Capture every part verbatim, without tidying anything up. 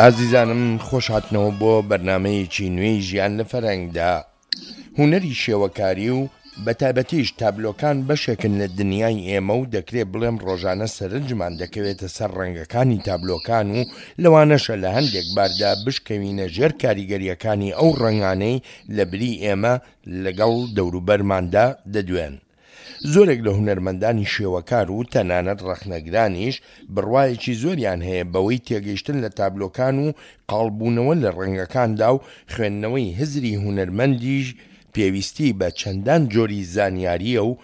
ئازیزانم خۆش هاتنەوە بۆ بەرنامەیەکی نوێی ژیان لە فەرهەنگدا. هونەری شێوەکاری و بە تایبەتیش تابلۆکان بەشێکن لە دنیای ئێمە و دەکرێ بڵێم ڕۆژانە سەرنجمان دەکەوێتە سەر ڕەنگەکانی تابلۆکان و لەوانەشە لە هەندێک باردا بشکەوینە ژێر کاریگەرییەکانی ئەو ڕەنگانەی لە بری ئێمە لەگەڵ دەوروبەرماندا دەدوێن. زۆرێک لە هونەرمەندانی شێوەکار و تەنانەت ڕەخنەگرانیش بڕوایەکی زۆریان هەیە بەوەی تێگەیشتن لە تابلۆکان و قاڵبوونەوە لە ڕەنگەکاندا و خوێندنەوەی هزری هونەرمەندیش پێویستی بە چەندان جۆری زانیارییە و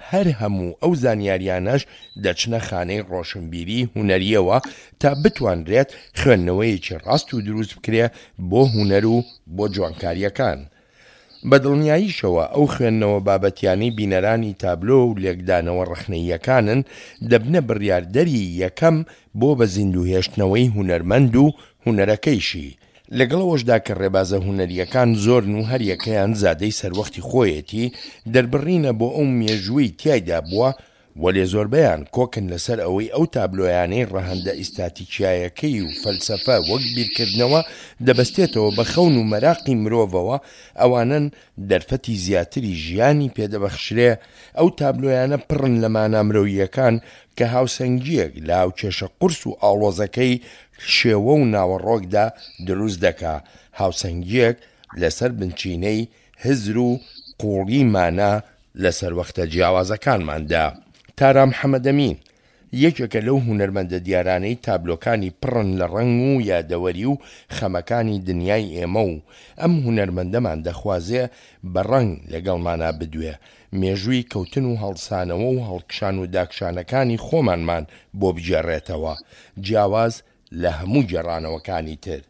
هەر هەموو ئەو زانیاریانەش دەچنە خانەی ڕۆشنبیری هونەرییەوە تا بتوانرێت خوێندنەوەیەکی ڕاست و دروست بکرێ بۆ هونەر و بۆ جوانکارییەکان. بە دڵنیاییشەوە ئەو خوێندنەوە بابەتیانەی بینەرانی تابلۆ و لێکدانەوە ڕەخنەییەکانن دەبنە بڕیاردەری یەکەم بۆ بە زیندووهێشتنەوەی هونەرمەند و هونەرەکەیشی. لەگەڵ ئەوەشدا کە ڕێبازە هونەرییەکان زۆرن و هەریەکەیان زادەی سەروەختی خۆیەتی، دەربڕینە بۆ ئەو مێژووەی تیایدا بووە، وەلێ زۆربەیان کۆکن لەسەر ئەوەی ئەو تابلۆیانەی ڕەهەندە ئیستاتیکیایەکەی و فەلسەفە وەک بیرکردنەوە دەبەستێتەوە بە خەون و مەراقی مرۆڤەوە ئەوانەن دەرفەتی زیاتری ژیانی پێدەبەخشرێ، ئەو تابلۆیانە پڕن لە مانا مرۆییەکان کە هاوسەنگییەک لە هاوکێشە قورس و ئاڵۆزەکەی شێوە و ناوەڕۆکدا دروست دەکا، هاوسەنگییەک لەسەر بنچینەی هزر و قووڵی مانا لە سەروەختە جیاوازەکانماندا. تارا محەمەدەمین، یەکێکە لەو هونەرمەندە دیارانەی تابلۆکانی پڕن لە ڕەنگ و یادەوەری و خەمەکانی دنیای ئێمە و ئەم هونەرمەندەمان دەخوازێ بە ڕەنگ لەگەڵمانا بدوێ، مێژووی کەوتن و هەڵسانەوە و هەڵکشان و داکشانەکانی خۆمانمان بۆ بگێڕێتەوە، جیاواز لە هەموو گێڕانەوەکانی تر.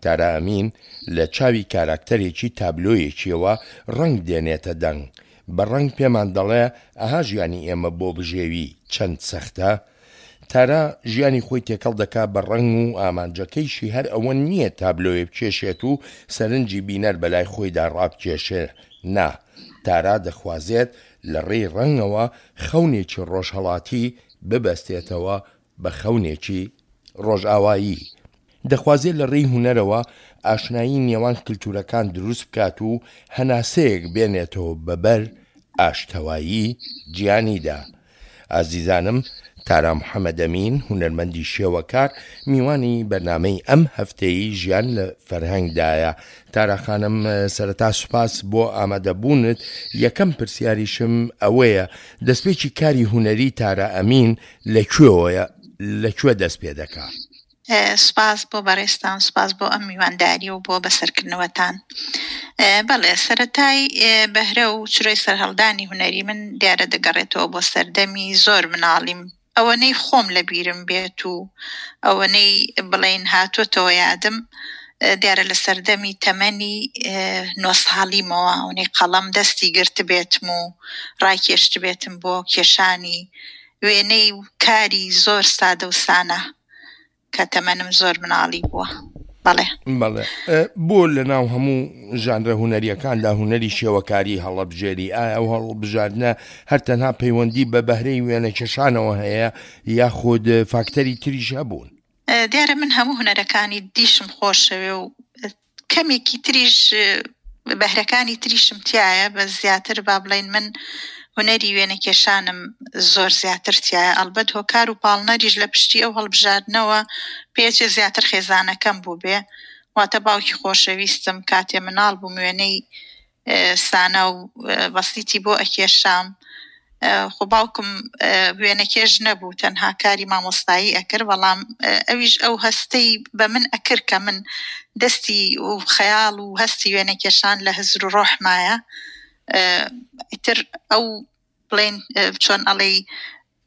تارا ئەمین لە چاوی کاراکتەرێکی تابلۆیەکیەوە ڕەنگ دێنێتە دەنگ، بە ڕەنگ پێمان دەڵێ ئەها ژیانی ئێمە بۆ بژێوی چەند سەختە. تارا ژیانی خۆی تێکەڵ دەکا بە ڕەنگ و ئامانجەکەیشی هەر ئەوە نییە تابلۆیە بکێشێت و سەرنجی بینەر بەلای خۆیدا ڕابکێشێ، نا، تارا دەخوازێت لە ڕێی ڕەنگەوە خەونێکی ڕۆژهەڵاتی ببەستێتەوە بە خەونێکی ڕۆژئاوایی. دەخوازێ لە ڕێی هونەرەوە ئاشنایی نێوان کلتورەکان دروست بکات و هەناسەیەک بێنێتەوە بە بەر ئاشتەوایی جیهانیدا. ئازیزانم تارا محەمەدەمین هونەرمەندی شێوەکار میوانی بەرنامەی ئەم هەفتەیەی ژیان لە فەرهەنگدایە. تارا خانم سەرەتا سوپاس بۆ ئامادەبوونت، یەکەم پرسیاریشم ئەوەیە دەستپێکی کاری هونەری تارا ئەمین لە کوێوەیە، لە کوێ دەست پێ دەکا؟ سوپاس بۆ بەڕێزتان، سوپاس بۆ ئەم میوانداری و بۆ بەسەرکردنەوەتان. بەڵێ، سەرەتای بەهرە و چرۆی سەرهەڵدانی هونەری من دیارە دەگەڕێتەوە بۆ سەردەمی زۆر مناڵیم، ئەوەنەی خۆم لەبیرم بێت و ئەوەنەی بڵێین هاتۆتەوە یادم، دیارە لە سەردەمی تەمەنی نۆ ساڵیمەوە ئەوەنەی قەڵەم دەستی گرتبێتم و ڕایکێشتبێتم بۆ کێشانی وێنەی و کاری زۆر سادە و سانا کە تەمەنم زۆر مناڵی بووە. بەڵێ. بەڵێ. بۆ لە ناو هەموو ژانرە هونەرییەکاندا هونەری شێوەکاری هەڵەبژێری؟ ئایا ئەو هەڵبژاردنە هەر تەنها پەیوەندی بە بەهرەی وێنەکێشانەوە هەیە یاخود فاکتەری تریش هەبوون؟ دیارە من هەموو هونەرەکانی دیشم خۆشەوێ و کەمێکی تریش بەهرەکانی تریشم تایە، بە زیاتر با بڵێین من هونەری وێنەکێشانم زۆر زیاتر تایە. ئەلبەت هۆکار و پاڵنەریش لە پشتی ئەو هەڵبژاردنەوە پێچێ زیاتر خێزانەکەم بوو بێ، واتە باوکی خۆشەویستم کاتێ مناڵ بووم وێنەی سانا و بەسیتی بۆ ئەکێشام. خۆ باوکم وێنەکێش نەبوو، تەنها کاری مامۆستایی ئەکرد، بەڵام ئەویش ئەو هەستەی بە من ئەکرد کە من دەستی و خەیاڵ و هەستی وێنەکێشان لە هزر و ڕۆحمایە. ئیتر ئەو بڵێن چۆن ئەڵێی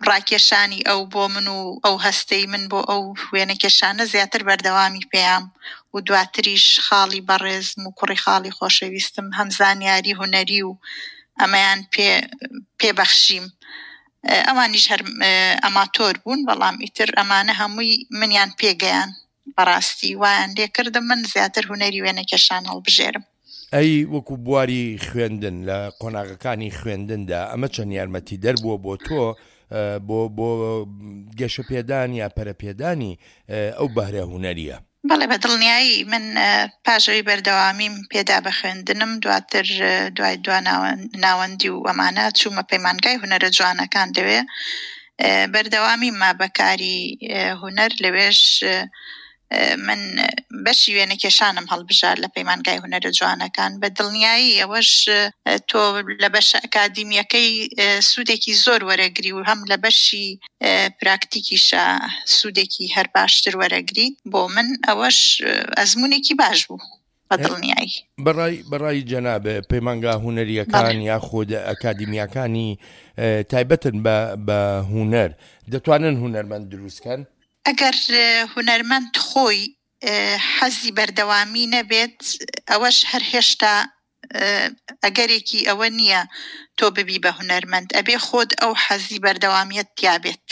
ڕاکێشانی ئەو بۆ من و ئەو هەستەی من بۆ ئەو وێنەکێشانە زیاتر بەردەوامی پێیام و دواتریش خاڵی بەڕێزم و کوڕی خاڵی خۆشەویستم هەم زانیاری هونەری و ئەمەیان پێ پێبەخشیم. ئەوانیش هەر ئەماتۆر بوون، بەڵام ئیتر ئەمانە هەمووی منیان پێگەیان. بەڕاستی وایان لێکردم من زیاتر هونەری وێنەکێشان هەڵبژێرم. ئەی وەکو بواری خوێندن لە قۆناغەکانی خوێندندا ئەمە چەند یارمەتیدەر بووە بۆ تۆ بۆ بۆ گەشەپێدان یا پەرەپێدانی ئەو بەهرە هونەریە؟ بەڵێ، بە دڵنیایی. من پاش ئەوەی بەردەوامیم پێدا بە خوێندنم، دواتر دوای دوا ناوەندی و ئەمانە چوومە پەیمانگای هونەرە جوانەکان. لەوێ بەردەوامی ما بەکاری هونەر. لەوێش من بەشی وێنەکێشانم هەڵبژارد لە پەیمانگای هونەرە جوانەکان. بە دڵنیایی ئەوەش تۆ لە بەشە ئەکادیمیەکەی سوودێکی زۆر وەرەگری و هەم لە بەشی پراکتیکیشە سوودێکی هەر باشتر وەرەگریت. بۆ من ئەوەش ئەزمونێکی باش بوو بە دڵنیایی. بەڕای بەڕای جەنابێ پەیمانگا هونەریەکان یاخود ئەکادیمیاکانی تایبەتن بە بە هونەر دەتوانن هونەرمەند دروستکەن؟ ئەگەر هونەرمەند خۆی حەزی بەردەوامی نەبێت، ئەوەش هەر هێشتا ئەگەرێکی ئەوە نییە تۆ ببی بە هونەرمەند. ئەبێ خۆت ئەو حەزی بەردەوامیت تیابێت،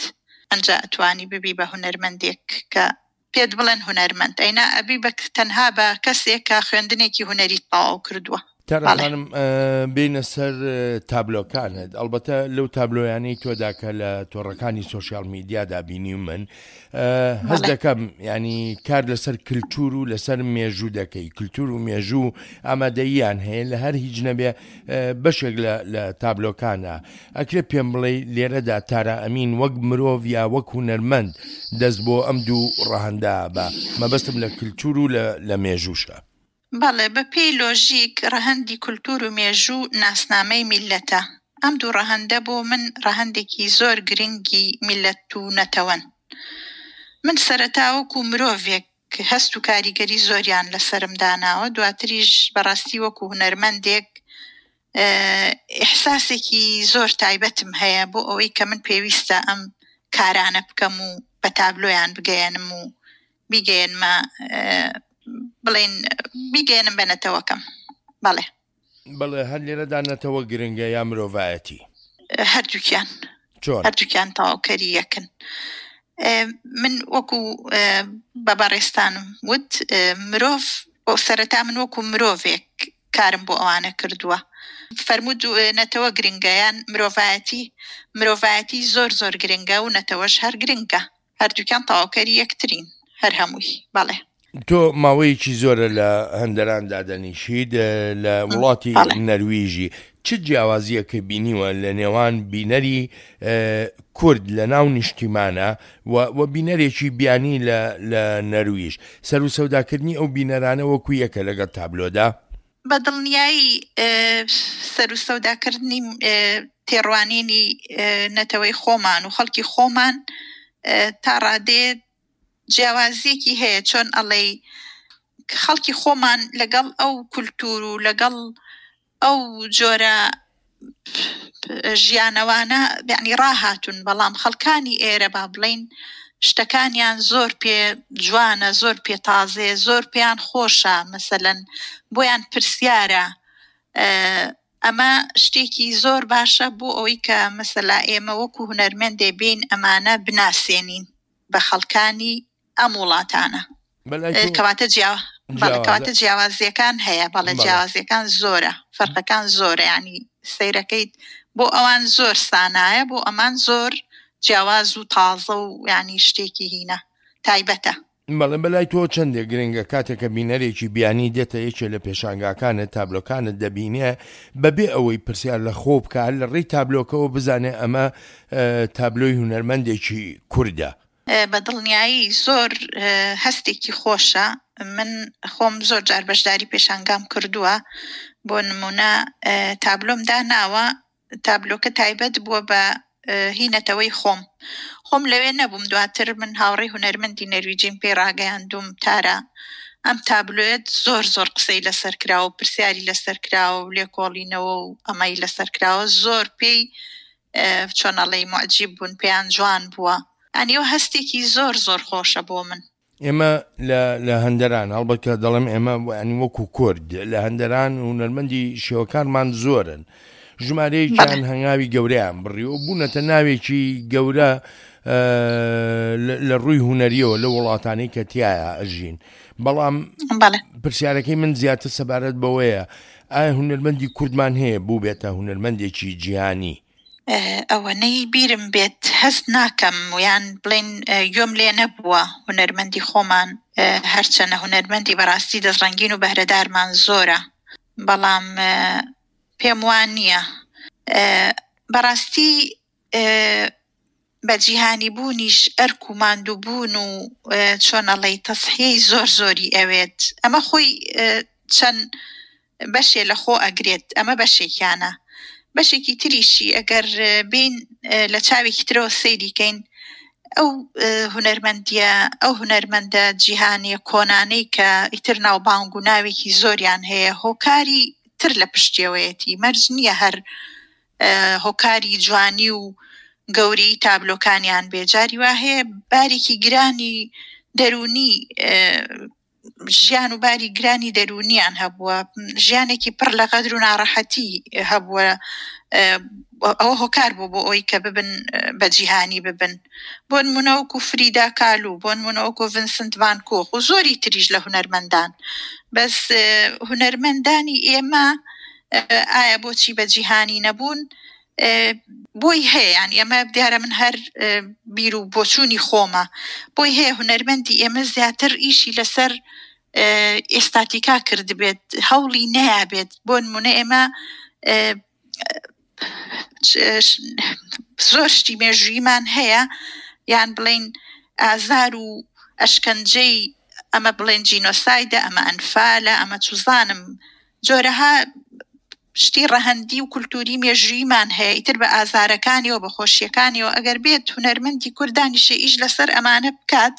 ئەنجا ئەتوانی ببی بە هونەرمەندێک کە پێت بڵێن هونەرمەند. ئەینا ئەبی بە تەنها بە کەسێک کە خوێندنێکی هونەری تەواو کردووە. تارا خانم، بینە سەر تابلۆکانت. ئەلبەتە لەو تابلۆیانەی تۆدا کە لە تۆڕەکانی سۆشیال میدیادا بینیومن، هەست دەکەم ینی کار لەسەر کللتور و لەسەر مێژوو دەکەی. کللتور و مێژوو ئامادەییان هەیە لە هەر هیچ نەبێ بەشێک لە تابلۆکانە. ئەکرێ پێم بڵێ لێرەدا تارا ئەمین وەک مرۆڤ یا وەک هونەرمەند دەست بۆ ئەم دوو ڕەهەندا بە مەبەستم لە کللتور و لە مێژووشە؟ بەڵێ، بە پێی لۆژیک ڕەهەندی کولتور و مێژوو ناسنامەی میلەتە. ئەم دوو ڕەهەندە بۆ من ڕەهەندێکی زۆر گرنگی میلەت و نەتەوەن. من سەرەتا وەکو مرۆڤێک هەست و کاریگەری زۆریان لەسەرم داناوە، دواتریش بەڕاستی وەکو هونەرمەندێک ئیحساسێکی زۆر تایبەتم هەیە بۆ ئەوەی کە من پێویستە ئەم کارانە بکەم و بە تابلۆیان بگەیەنم و بیگەیەنمە بڵێن بیگەیەنم بە نەتەوەکەم. بەڵێ. بەڵێ، هەر لێرەدا نەتەوە گرنگە یا مرۆڤایەتی؟ هەردووکیان. چۆن؟ هەردووکیان تەواوکەری یەکن. من وەکو بە بەڕێستانم وت، مرۆڤ سەرەتا من وەکو مرۆڤێک کارم بۆ ئەوانە کردووە. فەرموود نەتەوە گرنگە یان مرۆڤایەتی؟ مرۆڤایەتی زۆر زۆر گرنگە و نەتەوەش هەر گرنگە. هەردووکیان تەواوکەری یەکترین، هەر هەمووی. بەڵێ. تۆ ماوەیەکی زۆرە لە هەندەران دادەنیشیت، لە وڵاتی نەرویژی. چ جیاوازیەکە بینیوە لە نێوان بینەری کورد لە ناو نیشتیمانە و بینەرێکی بیانی لە نەرویژ؟ سەر و سەوداکردنی ئەو بینەرانە وەکو یەکە لەگەڵ تابلۆدا؟ بە دڵنیایی سەر و سەوداکردنی تێڕوانینی نەتەوەی خۆمان و خەڵکی خۆمان تا ڕادێت جیاوازیەکی هەیە. چۆن ئەڵێی خەڵکی خۆمان لەگەڵ ئەو کولتور و لەگەڵ ئەو جۆرە ژیانەوانە یعنی ڕاهاتون، بەڵام خەڵکانی ئێرە با بڵین شتەکانیان زۆر پێ جوانە، زۆر پێ تازێ، زۆر پێیان خۆشە، مەسەلەن بۆیان پرسیارە. ئەمە شتێکی زۆر باشە بۆ ئەوەی کە مەسەلا ئێمە وەکو هونەرمەندێ بین ئەمانە بناسێنین بە خەڵکانی ئەم وڵاتانە. کەواتە جیاوازە کەواتە جیاوازیەکان هەیە. بەڵێ، جیاوازیەکان زۆرە، فەرقەکان زۆرە. ینی سەیرەکەیت بۆ ئەوان زۆر سانایە، بۆ ئەمان زۆر جیاواز و تازە و ینی شتێکی هینە تایبەتە. بەڵێ، بەلای تۆ چەندێک گرنگە کاتێک کە بینەرێکی بیانی دێتە یەکێ لە پێشانگاکانت، تابلۆکانت دەبینێ، بەبێ ئەوەی پرسیار لە خۆ بکات لە ڕێی تابلۆکەوە بزانێ ئەمە تابلۆی هونەرمەندێکی کوردە؟ بە دڵنیایی زۆر هەستێکی خۆشە. من خۆم زۆر جار بەشداری پێشانگام کردووە. بۆ نمونە تابلۆم داناوە، تابلۆکە تایبەت بووە بە هی نەتەوەی خۆم. خۆم لەوێ نەبووم، دواتر من هاوڕێی هونەرمەندی نەرویجیم پێی ڕاگەیاندوم تارا ئەم تابلۆیەت زۆر زۆر قسەی لەسەر کراوە و پرسیاری لەسەر کراوە و لێکۆڵینەوە و ئەمەی لەسەر کراوە، زۆر پێی چۆن ئەڵێی موعجیب بوون، پێیان جوان بووە. ئەنی ئەو هەستێکی زۆر زۆر خۆشە بۆ من. ئێمە لە هەندەران، هەڵبەت کە دەڵێم ئێمە ینی وەکو کورد لە هەندەران هونەرمەندی شێوەکارمان زۆرن، ژمارەیەکیان هەنگاوی گەورەیان بڕی و بوونەتە ناوێکی گەورە لە ڕووی هونەریەوە لە وڵاتانەی کە تایە ئەژین. بەڵام پرسیارەکەی من زیاتر سەبارەت بەوەیە ئایا هونەرمەندی کوردمان هەیە بوو بێتە هونەرمەندێکی جیهانی؟ ئەوەنەی بیرم بێت هەست ناکەم یان بڵێن گوێم لێ نەبووە هونەرمەندی خۆمان، هەرچەنە هونەرمەندی بەڕاستی دەستڕەنگین و بەهرەدارمان زۆرە، بەڵام پێم وان نییە بەڕاستی بە جیهانی بوونیش ئەرک و ماندووبوون و چۆن ئەڵێی تەسحیەی زۆر زۆری ئەوێت. ئەمە خۆی چەند بەشێ لە خۆ ئەگرێت، ئەمە بەشێکیانە. بەشێکی تریشی ئەگەر بین لە چاوێکی ترەوە سەیری کەین، ئەو هونەرمەندیە، ئەو هونەرمەندە جیهانیە کۆنانەی کە ئیتر ناوبانگ و ناوێکی زۆریان هەیە، هۆکاری تر لە پشتیەوەیەتی. مەرج نییە هەر هۆکاری جوانی و گەورەی تابلۆکانیان بێ، جاری وا هەیە بارێکی گرانی دەروونی ژیان و باری گرانی دەروونیان هەبووە، ژیانێکی پڕ لە غەدر و ناڕەحەتی هەبووە، ئەوە هۆکار بوو بۆ ئەوەی کە ببن بە جیهانی ببن. بۆ نمونە وەکو فریدا کالو، بۆ نمونە وەکو ڤینسنت ڤان کۆخ و زۆری تریش لە هونەرمەندان. بەس هونەرمەندانی ئێمە ئایا بۆچی بە جیهانی نەبوون؟ بۆی هەیە، یان ئێمە دیارە من هەر بیر و بۆچوونی خۆمە، بۆی هەیە هونەرمەندی ئێمە زیاتر ئیشی لەسەر ئێستاتیکا کردبێت، هەوڵی نەیابێت. بۆ نمونە ئێمە زۆر شتی مێژوویمان هەیە، یان بڵین ئازار و ئەشکەنجەی ئەمە بڵێن جینۆسایدە، ئەمە ئەنفالە، ئەمە چوزانم، جۆرەها شتی ڕەهەندی و کولتوری مێژوویمان هەیە، ئیتر بە ئازارەکانیەوە بە خۆشیەکانیەوە. ئەگەر بێت هونەرمەندی کوردانیشە ئیش لەسەر ئەمانە بکات،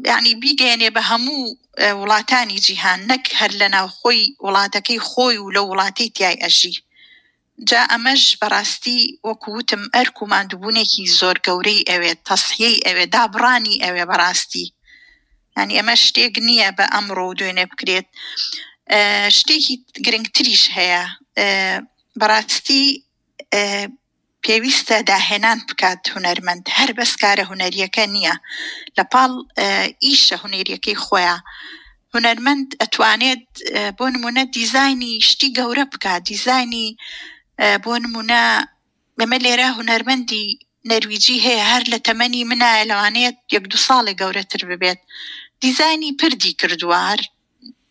یعنی بیگەیەنێ بە هەموو وڵاتانی جیهان، نەک هەر لە ناوخۆی وڵاتەکەی خۆی و لە وڵاتەی تیای ئەژی. جا ئەمەش بەڕاستی وەکو وتم ئەرک و ماندووبوونێکی زۆر گەورەی ئەوێت، تەسحیەی ئەوێ، دابڕانی ئەوێ بەڕاستی. یعنی ئەمە شتێک نییە بە ئەمڕۆ و دوێنێ بکرێت. شتێکی گرنگتریش هەیە بەڕاستی، پێویستە داهێنان بکات هونەرمەند. هەر بەس کارە هونەریەکە نییە، لە پاڵ ئیشە هونەریەکەی خۆیان هونەرمەند ئەتوانێت بۆ نمونە دیزاینی شتی گەورە بکات، دیزاینی بۆ نمونە ئێمە لێرە هونەرمەندی نەرویجی هەیە، هەر لە تەمەنی منایە، لەوانەیە یەک دوو ساڵێ گەورەتر ببێت، دیزاینی پردی کردووە، هەر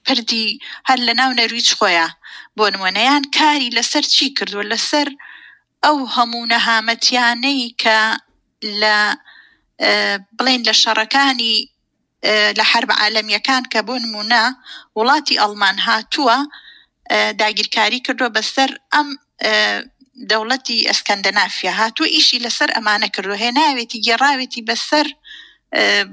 پردی هەر لە ناو نەرویج خۆیان بۆ نمونەیان کاری لەسەر چی کردووە، لەسەر ئەو هەموو نەهامەتیانەی کە لە بڵێن لە شەڕەکانی لە حرب عالەمیەکان کە بۆ نمونە وڵاتی ئەڵمان هاتووە داگیرکاری کردووە بەسەر ئەم دەوڵەتی ئەسکەندەنافیا، هاتووە ئیشی لەسەر ئەمانە کردووە، هێناوێتی گێڕاوێتی بەسەر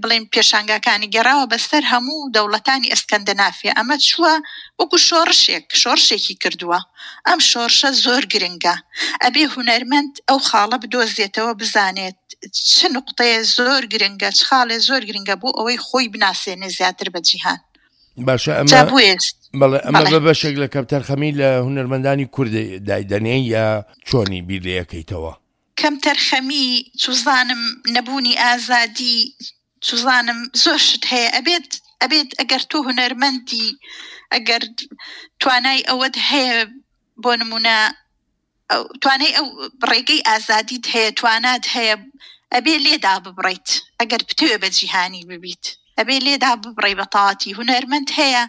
بڵێن پێشانگاکانی گێڕاوە بەسەر هەموو دەوڵەتانی ئەسکەندەنافیا. ئەمە چووە وەکو شۆڕشێک، شۆڕشێکی کردووە. ئەم شۆڕشە زۆر گرنگە، ئەبێ هونەرمەند ئەو خاڵە بدۆزێتەوە، بزانێت چ نقطەیە زۆر گرنگە، چ خاڵێ زۆر گرنگە بۆ ئەوەی خۆی بناسێنێ زیاتر بە جیهان. باشە، ئەمە بەڵێ ئەمە بە بەشێک لە کەمتەرخەمی لە هونەرمەندانی کورد دایدەنێ یا چۆنی بیر لێ یەکەیتەوە؟ کەمتەرخەمی، چوزانم نەبوونی ئازادی، چوزانم زۆر شت هەیە. ئەبێت ئەبێت ئەگەر تۆ هونەرمەندی، ئەگەر توانای ئەوەت هەیە، بۆ نمونە توانای ئەو ڕێگەی ئازادیت هەیە، توانات هەیە، ئەبێ لێدا ببڕیت. ئەگەر بتەوێ بە جیهانی ببیت، ئەبێ لێدا ببڕی بە تەواتی. هونەرمەند هەیە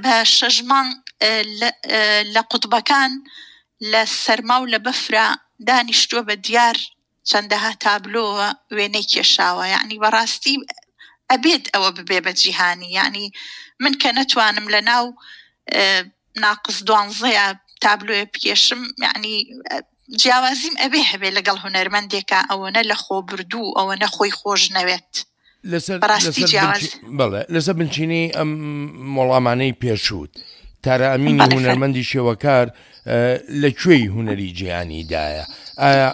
بە شەش مانگ لە قوتبەکان لە سەرما و لە بەفرا دانیشتووە بە دیار چەندەها تابلۆوە وێنەی کێشاوە. یعنی بەڕاستی ئەبێت ئەوە ببێ بە جیهانی. یعنی من کە نەتوانم لە ناو ناقص دوانزەیە تابلۆیە بکێشم، یعنی جیاوازیم ئەبێ هەبێ لەگەڵ هونەرمەندێکە ئەوەنە لە خۆ بردوو، ئەوەنە خۆی خۆش نەوێت. بەڵێ لەسەر بنچینەی ئەم وەڵامانەی پێشووت، تارا ئەمینی هونەرمەندی شێوەکار لە کوێی هونەری جیهانیدایە؟ ئایا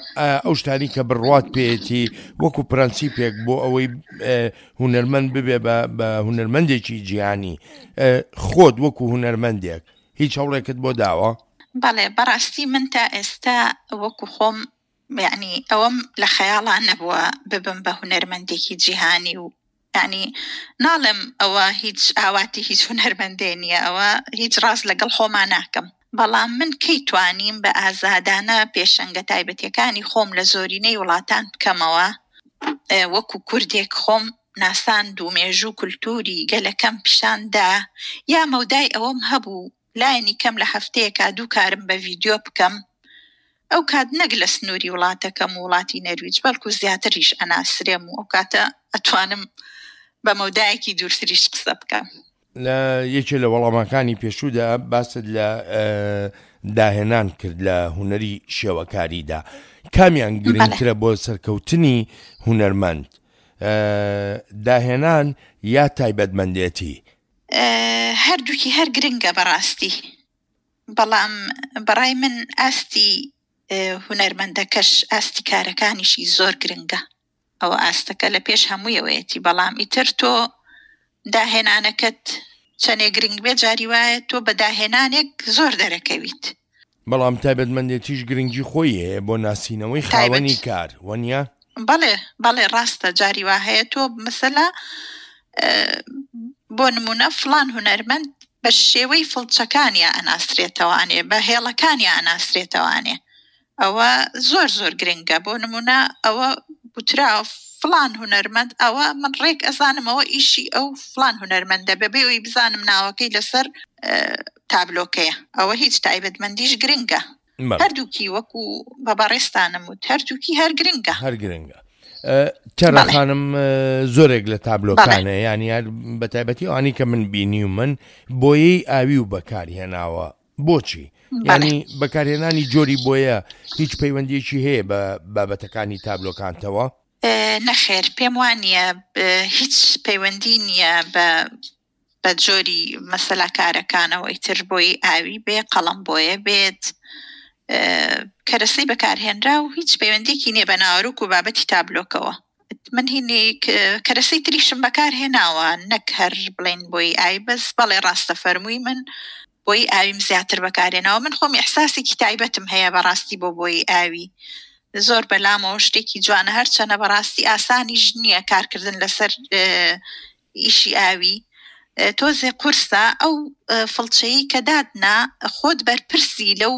ئەو شتانی کە بڕوات پێیەتی وەکو پرەنسیپێک بۆ ئەوەی هونەرمەند ببێ بە هونەرمەندێکی جیهانی، خۆت وەکو هونەرمەندێک هیچ هەوڵێکت بۆ داوە؟ بەڵێ، بەڕاستی من تا ئێستا وەکو خۆم یعنی ئەوەم لە خەیاڵان نەبووە ببم بە هونەرمەندێکی جیهانی و یعنی ناڵێم ئەوە هیچ ئاواتی هیچ هونەرمەندێ نییە، ئەوە هیچ ڕاست لەگەڵ خۆمان ناکەم. بەڵام من کەی توانیم بە ئازادانە پێشەنگە تایبەتیەکانی خۆم لە زۆرینەی وڵاتان بکەمەوە، وەکو کوردێک خۆم ناساند و مێژوو کولتوری گەلەکەم پیشان دا، یا مەودای ئەوەم هەبوو لایەنی کەم لە هەفتەیەکا دوو کارم بە ڤیدیۆ بکەم، ئەو کات نەک لە سنووری وڵاتەکەم و وڵاتی نەرویج بەڵکو زیاتریش ئەناسرێم و ئەو کاتە ئەتوانم بە مەودایەکی دوورتریش قسە بکەم. لە یەکێ لە وەڵامەکانی پێشوودا باست لە داهێنان کرد لە هونەری شێوەکاریدا، کامیان گرنگترە بۆ سەرکەوتنی هونەرمەند، داهێنان یا تایبەتمەندێتی؟ هەردووکی هەر گرنگە بەڕاستی، بەڵام بەڕای من ئاستی هونەرمەندەکەش ئاستی کارەکانیشی زۆر گرنگە. ئەوە ئاستەکە لە پێش هەموویەوەیەتی، بەڵام ئیتر تۆ داهێنانەکەت چەندێ گرنگ بێ جاری وایە تۆ بە داهێنانێک زۆر دەرەکەویت. بەڵام تایبەتمەندێتیش گرنگی خۆی هەیە بۆ ناسینەوەی خاوەنی کار، وەنیە؟ بەڵێ بەڵێ ڕاستە. جاری وا هەیە تۆ مەسەلا بۆ نمونە فلان هونەرمەند بە شێوەی فڵچەکانیا ئەناسرێتەوانێ، بە هێڵەکانیا ئەناسرێتەوانێ، ئەوە زۆر زۆر گرنگە. بۆ نمونە ئەوە وترا فلان هونەرمەند، ئەوە من ڕێک ئەزانم ئەوە ئیشی ئەو فلان هونەرمەندە بەبێ ئەوەی بزانم ناوەکەی لەسەر تابلۆکەیە. ئەوە هیچ تایبەتمەندیش گرنگە. هەردووکی وەکو بە بەڕێستانم وت هەردووکی هەر گرنگە. هەر گرنگە. تارا خانم زۆرێک لە تابلۆکانە، یعنی هەر بە تایبەتی ئەوانەی کە من بینیومن بۆیەی ئاوی و بەکارهێناوە. بۆچی؟ یعنی بەکارهێنانی جۆری بۆیە هیچ پەیوەندیەکی هەیە بە بابەتەکانی تابلۆکانتەوە؟ نەخێر، پێم وانییە هیچ پەیوەندی نییە بە بە جۆری مەسەلا کارەکانەوە. ئیتر بۆی ئاوی بێ، قەڵەم بۆیە بێت، کەرەسەی بەکارهێنرا و هیچ پەیوەندیەکی نییە بە ناوەرۆک و بابەتی تابلۆکەوە. من هینێک کەرەسەی تریشم بەکارهێناوە، نەک هەر بڵێن بۆی ئاوی بەس. بەڵێ ڕاستە فەرمووی، من بۆی ئاویم زیاتر بەکارهێناوە. من خۆم ئیحساسێکی تایبەتم هەیە بەڕاستی بۆ بۆی ئاوی، زۆر بەلامەوە شتێکی جوانە، هەرچەنە بەڕاستی ئاسانیش نییە کارکردن لەسەر ئیشی ئاوی، تۆزێ قورسە. ئەو فڵچەیە کە دادنا خۆت بەرپرسی لەو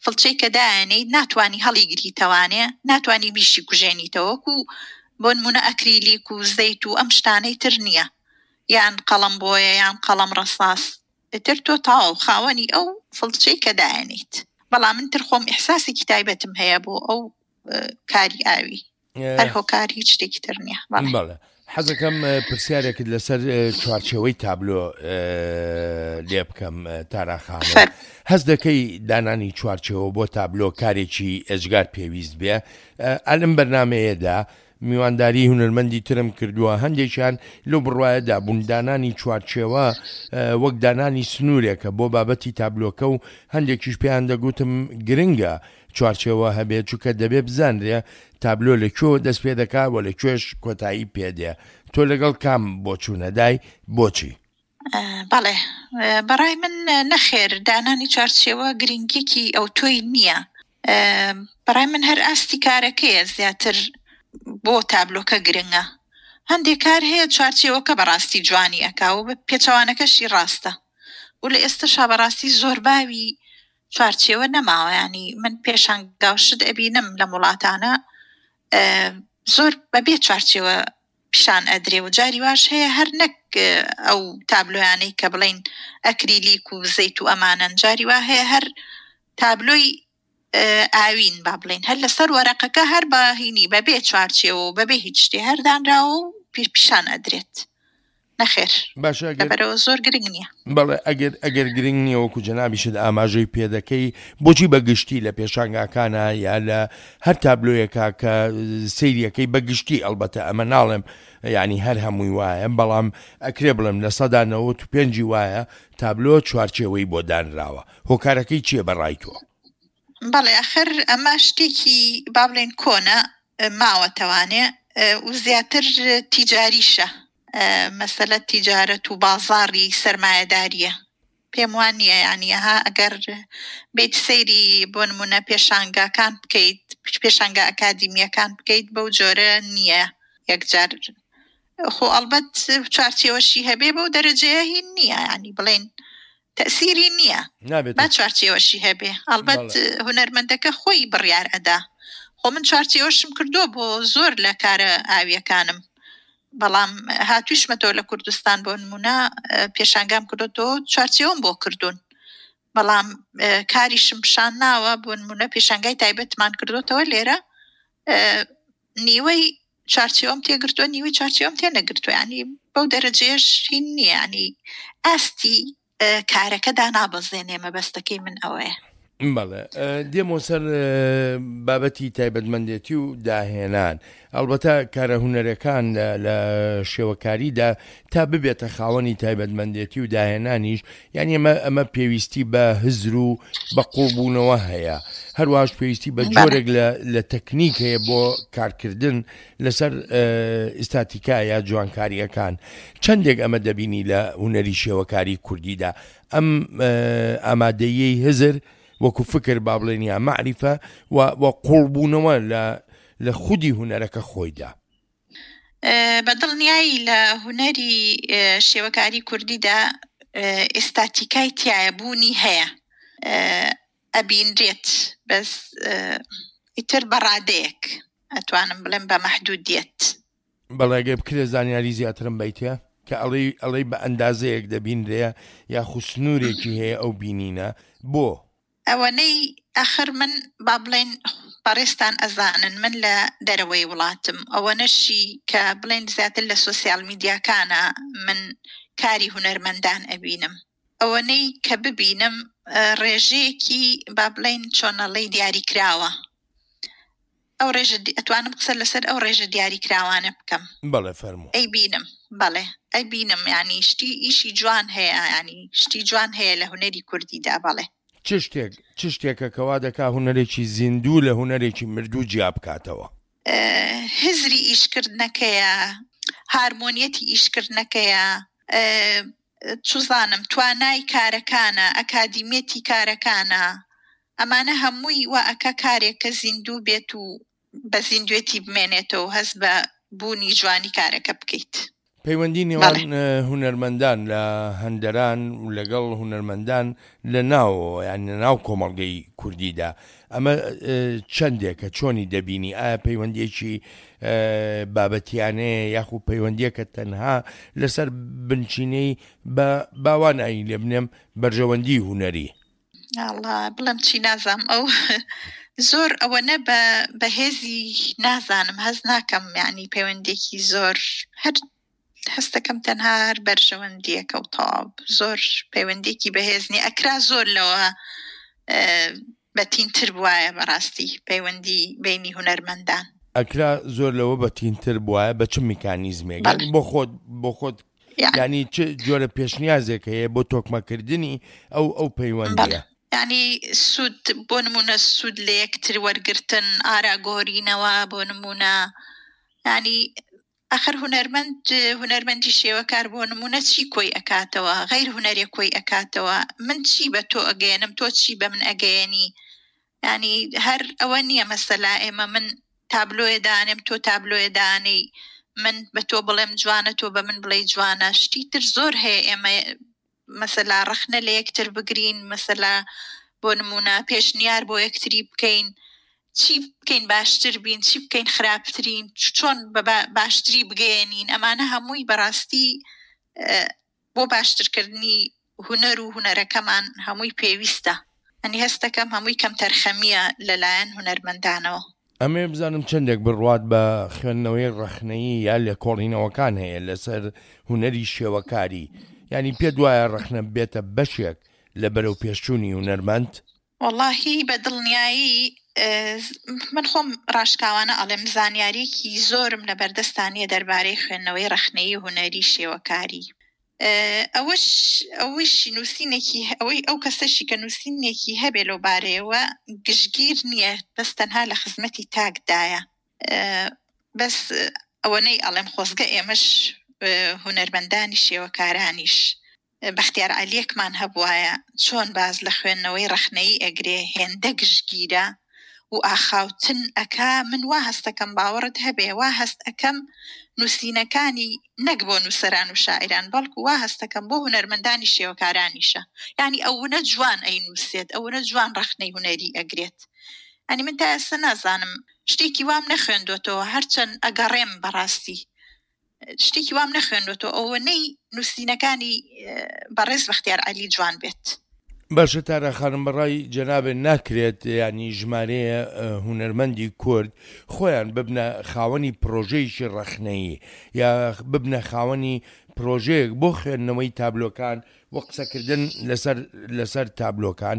فڵچەی کە دایانەی، ناتوانی هەڵیگریتەوانێ، ناتوانی بیشی کوژێنیتەوە، وەکو بۆ نمونە ئەکریلیک و زەیت و ئەم شتانەی تر نییە، یان قەڵەم بۆیە یان قەڵەم ڕەساس. ئیتر تۆ تەواو خاوەنی ئەو فڵچەی کە دایانیت. بەڵام من تر خۆم ئیحساسێکی تایبەتم هەیە بۆ ئەو کاری ئاوی، هەر هۆکار هیچ شتێکی تر نییە. بەڵێ حەزەکەم پرسیارێکت لەسەر چوارچێوەی تابلۆ لێ بکەم تارا خانم. هەست دەکەی دانانی چوارچێوە بۆ تابلۆ کارێکی ئێجگار پێویست بێ؟ ئەلم بەرنمەیەدا میوانداری هونەرمەندی ترم کردووە، هەندێکیان لەو بڕوایەدا بوون دانانی چوارچێوە وەک دانانی سنوورێکە بۆ بابەتی تابلۆکە و هەندێکیش پێیان دەگوتم گرنگە چوارچێوە هەبێت، چونکە دەبێ بزانرێ تابلۆ لەکوێوە دەست پێ دەکا و لەکوێش کۆتایی پێدێ. تۆ لەگەڵ کام بۆچوونەدای، بۆچی؟ بەڵێ بەڕای من نەخێر، دانانی چوارچێوە گرنگیەکی ئەوتۆی نییە. بەڕای من هەر ئاستی کارەکەیە زیاتر بۆ تابلۆکە گرنگە. هەندێک کار هەیە چوارچێوەکە بەڕاستی جوانی ئەکا و پێچەوانەکەشی ڕاستە، و لە ئێستەشا بەڕاستی زۆر باوی چوارچێوە نەماوە. ینی من پێشانگاوشت ئەبینم لەم وڵاتانە زۆر بەبێ چوارچێوە پیشان ئەدرێ و جاری واش هەیە هەر نەک ئەو تابلۆیانەی کە بڵین ئەکریلیک و زەیت و ئەمانەن، جاری وا هەیە هەر تابلۆی ئاوین با بڵین هەر لەسەر وەرەقەکە هەر بەهینی بەبێ چوارچێوە و بەبێ هیچ شتێ هەر دانراوە و پیشان ئەدرێت. نەخێر باشە، لەبەرەوە زۆر گرنگ نییە. بەڵێ ئەگەر ئەگەر گرنگ نییە وەکو جەنابیشت ئاماژەی پێدەکەی، بۆچی بە گشتی لە پێشانگاکانە یا لە هەر تابلۆیەکە کە سەیریەکەی بە گشتی، ئەلبەتە ئەمە ناڵێم یعنی هەر هەمووی وایە، بەڵام ئەکرێ بڵێم لە سەدا نەوەت و پێنجی وایە تابلۆ چوارچێوەی بۆ دانراوە. هۆکارەکەی چییە بەڕای تۆ؟ بەڵێ ئەخر ئەمە شتێکی با بڵێن کۆنە ماوەتەوانێ و زیاتر تیجاریشە، مەسەلە تیجارەت و بازاڕی سەرمایەداریە. پێم وان نییە یعنی ها ئەگەر بیت سەیری بۆ نمونە پێشانگاکان بکەیت، پێشانگا ئەکادیمیەکان بکەیت، بەو جۆرە نییە یەکجار. خۆ ئەلبەت چوارچێوەشی هەبێ بەو دەرەجەیە هین نییە، یعنی بڵێن تەسیری نییە با چوارچێوەشی هەبێ. ئەڵبەت هونەرمەندەکە خۆی بڕیار ئەدا. خۆ من چوارچێوەشم کردووە بۆ زۆر لە کارە ئاویەکانم، بەڵام هاتوویشمەتەوە لە کوردستان بۆ نمونە پێشانگام کردوەوە چوارچێوەم بۆ کردوون، بەڵام کاریشم پیشان ناوە. بۆ نمونە پێشانگای تایبەتمان کردوتەوە لێرە، نیوەی چوارچێوەم تێگرتووە نیوەی چوارچێوەم تێ نەگرتووە. ینی بەو دەرەجەیەش هین نییە، ینی ئاستی کارەکەدا نابەزێنێ. مەبەستەکەی من ئەوەیە. بەڵێ دێمەوە سەر بابەتی تایبەتمەندێتی و داهێنان. ئەڵبەتە کارە هونەرەکان لە شێوەکاریدا تا ببێتە خاوەنی تایبەتمەندێتی و داهێنانیش، یعنی ئەمە ئەمە پێویستی بە هزر و بە قوڵبوونەوە هەیە، هەروەهاش پێویستی بە جۆرێک لە تەکنیک هەیە بۆ کارکردن لەسەر ئیستاتیکا یا جوانکاریەکان. چەندێک ئەمە دەبینی لە هونەری شێوەکاری کوردیدا، ئەم ئامادەیەی هزر وەکو فکر با بڵێن یا مەعریفە و قوڵبوونەوە لە خودی هونەرەکە خۆیدا؟ بە دڵنیایی لە هونەری شێوەکاری کوردیدا ئێستاتیکای تایە بوونی هەیە، ئەبینرێت، بەس ئیتر بە ڕادەیەک ئەتوانم بڵێم بە مەحدودیەت. بەڵێ ئەگەر بکرێ زانیاری زیاترم بیتێ کە ئەڵێی ئەڵێی بە ئەندازەیەک دەبینرێ یاخود سنوورێکی هەیە ئەو بینینە بۆ؟ ئەوەنەی ئەخر من با بڵێن بەڕێزتان ئەزانن من لە دەرەوەی وڵاتم، ئەوەنەشی کە بڵێن زیاتر لە سۆسیال میدیاکانە من کاری هونەرمەندان ئەبینم، ئەوەنەی کە ببینم ڕێژەیەکی با بڵێن چۆنەڵی دیاریکراوە، ئەو ڕێژە ئەتوانم قسە لەسەر ئەو ڕێژە دیاریکراوانە بکەم. بەڵێ فەرموو. ئەیبینم، بەڵێ ئەیبینم، ینی شتی ئیشی جوان هەیە، ینی شتی جوان هەیە لە هونەری کوردیدا. بەڵێ. چ شتێک چ شتێکە کەوا دەکا هونەرێکی زیندوو لە هونەرێکی مردوو جیا بکاتەوە؟ هزری ئیشکردنەکەیە، هارمۆنیەتی ئیشکردنەکەیە، چوزانم توانای کارەکانە، ئەکادیمیەتی کارەکانە، ئەمانە هەمووی وا ئەکا کارێک کە زیندوو بێت و بە زیندوێتی بمێنێتەوە، هەست بە بوونی جوانی کارەکە بکەیت. پەیوەندی نێوان هونەرمەندان لە هەندەران و لەگەڵ هونەرمەندان لە ناوەوە، یان لە ناو کۆمەڵگەی کوردیدا، ئەمە چەندێکە چۆنی دەبینی؟ ئایا پەیوەندیەکی بابەتیانەیە یاخود پەیوەندیەکە تەنها لەسەر بنچینەی بە باوان ئاین لێ بنێم بەرژەوەندی هونەری؟ ئەڵا بڵێم چی نازانم، ئەو زۆر ئەوەنە بە بەهێزی نازانم، هەز ناکەم، یعنی پەیوەندێکی زۆر هەر هەستەکەم تەنها هەر بەرژەوەندیەکە و تەواو، زۆر پەیوەندێکی بەهێز نییە. ئەکرا زۆر لەوە بەتینتر بواە بەڕاستی پەیوەندی بینی هونەرمەندان. ئەکرا زۆر لەوە بەتینتر بواە بە چ میکانیزمێک؟ بۆ خۆت بۆ خۆت ینی چ جۆرە پێشنیازێک هەیە بۆ تۆکمەکردنی ئەو ئەو پەیوەندیە؟ ینی سوود بۆ نمونە سوود لە یەکتر وەرگرتن، ئاراگۆرینەوە بۆ نمونە، ینی ئەخر هونەرمەند هونەرمەندی شێوەکار بۆ نمونە چی کۆی ئەکاتەوە؟ غەیر هونەرێ کۆی ئەکاتەوە. من چی بە تۆ ئەگەیەنم، تۆ چی بە من ئەگەیەنی؟ ینی هەر ئەوە نییە مەسەلا ئێمە من تابلۆیە دانێم تۆ تابلۆیە دانێی، من بە تۆ بڵێم جوانە تۆ بە من بڵێ جوانە. شتی تر زۆر هەیە ئێمە مەسەلا ڕەخنە لە یەکتر بگرین، مەسەلا بۆ نمونە پێشنیار بۆ یەکتری بکەین، چی بکەین باشتر بین، چی بکەین خراپترین، چۆن بە باشتری بگەیەنین. ئەمانە هەمووی بەڕاستی بۆ باشترکردنی هونەر و هونەرەکەمان هەمووی پێویستە. ئەنی هەستەکەم هەمووی کەم تەرخەمیە لەلایەن هونەرمەندانەوە. ئەمێ بزانم چەندێک بڕوات بە خوێندنەوەی ڕەخنەیی یا لێکۆڵینەوەکان هەیە لەسەر هونەری شێوەکاری، ینی پێ دوایە ڕەخنە بێتە بەشێک لە بەرەو پێشچوونی هونەرمەند؟ وەڵاهی بە دڵنیایی من خۆم ڕاشکاوانە ئەڵێم زانیاریەکی زۆرم لە بەردەستانیە دەربارەی خوێندنەوەی ڕەخنەیی هونەری شێوەکاری. ئەوەش ئەوەش نووسینێکی ئەوەی ئەو کەسەشی کە نووسینێکی هەبێ لەو بارەیەوە گشتگیر نییە، بەس تەنها لە خزمەتی تاکدایە. بەس ئەوەنەی ئەڵێم خۆزگە ئێمەش هونەرمەندانی شێوەکارانیش بەختیار عەلیەکمان هەبوایە چۆن باز لە خوێندنەوەی ڕەخنەیی ئەگرێ، هێندە گشتگیرە و ئاخاوتن ئەکا، من وا هەستەکەم باوەڕت هەبێ وا هەست ئەکەم نووسینەکانی نەک بۆ نووسەران و شاعیران بەڵکو وا هەستەکەم بۆ هونەرمەندانی شێوەکارانیشە. یعنی ئەوەنە جوان ئەی نووسێت، ئەوەنە جوان ڕەخنەی هونەری ئەگرێت. ئەنی من تا ئێستا نازانم شتێکی وام نەخوێندوێتەوە، هەرچەند ئەگەڕێم بەڕاستی شتێکی وام نەخوێندوێتەوە ئەوەنەی نووسینەکانی بەڕێز بەختیار عەلی جوان بێت. باشە تارا خانم، بەڕای جەنابێ ناکرێت ینی ژمارەیە هونەرمەندی کورد خۆیان ببنە خاوەنی پرۆژەیەکی ڕەخنەیی یا ببنە خاوەنی پرۆژەیەک بۆ خوێندنەوەی تابلۆکان و قسەکردن لەسەر لەسەر تابلۆکان؟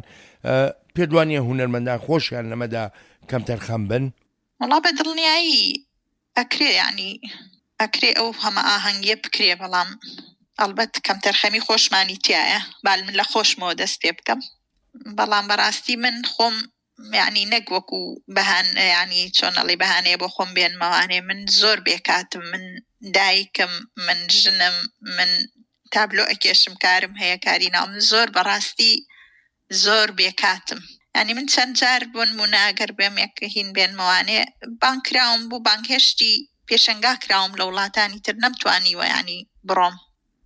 پێدوانیە هونەرمەندان خۆشیان لەمەدا کەمتەرخەم بن؟ وەڵا بە دڵنیایی ئەکرێ، ینی ئەکرێ ئەو هەمە ئاهەنگیە بکرێ، بەڵام ئەلبەت کەمتەرخەمی خۆشمانی تایە. بال من لە خۆشمەوە دەست پێ بکەم، بەڵام بەڕاستی من خۆم یعنی نەک وەکو بەهان، یعنی چۆن ئەڵێ بەهانەیە بۆ خۆم بێنمەوانێ، من زۆر بێکاتم، من دایکم، من ژنم، من تابلۆ ئەکێشم، کارم هەیە، کاری ناو، من زۆر بەڕاستی زۆر بێکاتم. یعنی من چەند جار بۆ نمونە ئەگەر بێم یەک هین بێنمەوانێ بانگ کراوم بوو، بانگهێشتی پێشەنگا کراوم لە وڵاتانی تر، نەمتوانیوە ینی بڕۆم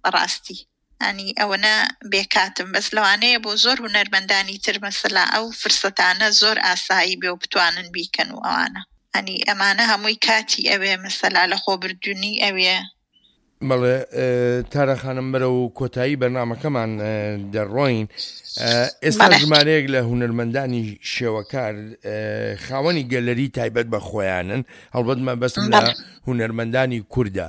بەڕاستی، ینی ئەوەنە بێکاتم. بەس لەوانەیە بۆ زۆر هونەرمەندانی تر مەسەلا ئەو فرسەتانە زۆر ئاسایی بێ و بتوانن بیکەن و ئەوانە، ینی ئەمانە هەمووی کاتی ئەوێ، مەسەلا لە خۆبردونی ئەوێ. بەڵێ تارا خانم، بەرەو کۆتایی بەرنامەکەمان دەڕۆین. ئێستا ژمارەیەک لە هونەرمەندانی شێوەکار خاوەنی گەلەری تایبەت بە خۆیانن، هەڵبەت مەبەستم لە هونەرمەندانی کووردە.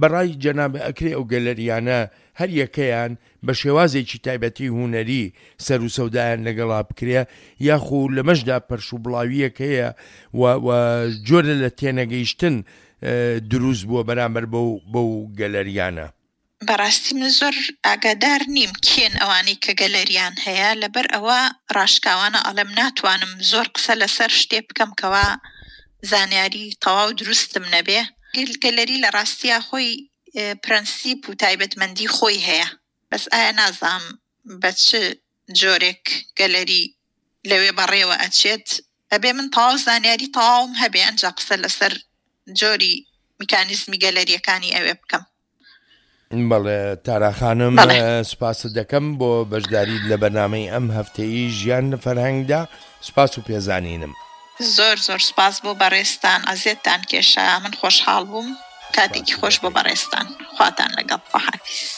بەڕای جەنابە ئەکرێ ئەو گەلەریانە هەر یەکەیان بە شێوازێکی تایبەتی هونەری سەر و سەودایان لەگەڵا بکرێ، یاخو لەمەشدا پەرش و بڵاویەک هەیە و جۆرە لە تێنەگەیشتن دروست بووە بەرامبەر بەو بەو گەلەریانە؟ بەڕاستی من زۆر ئاگادار نیم کێن ئەوانەی کە گەلەریان هەیە، لەبەر ئەوە ڕاشکاوانە ئەڵێم ناتوانم زۆر قسە لەسەر شتێ بکەم کەوا زانیاری تەواو دروستم نەبێ. گەلەری لە ڕاستییا خۆی پرەنسیپ و تایبەتمەندی خۆی هەیە، بەس ئایا نازانم بە چ جۆرێک گەلەری لەوێ بەڕێوە ئەچێت. ئەبێ من تەواو زانیاری تەواوم هەبێ ئەنجا قسە لەسەر جۆری میکانیزمی گەلەریەکانی ئەوێ بکەم. بەڵێ تارا خانم، سوپاست دەکەم بۆ بەشداری لە بەرنامەی ئەم هەفتەیی ژیان لە فەرهەنگدا. سوپاس و پێزانینم. زۆر زۆر سوپاس بۆ بەڕێزتان، ئەزیەتتان کێشا، من خۆشحاڵ بووم. کاتێکی خۆش بۆ بەڕێزتان، خواتان لەگەڵ. خواحافیز.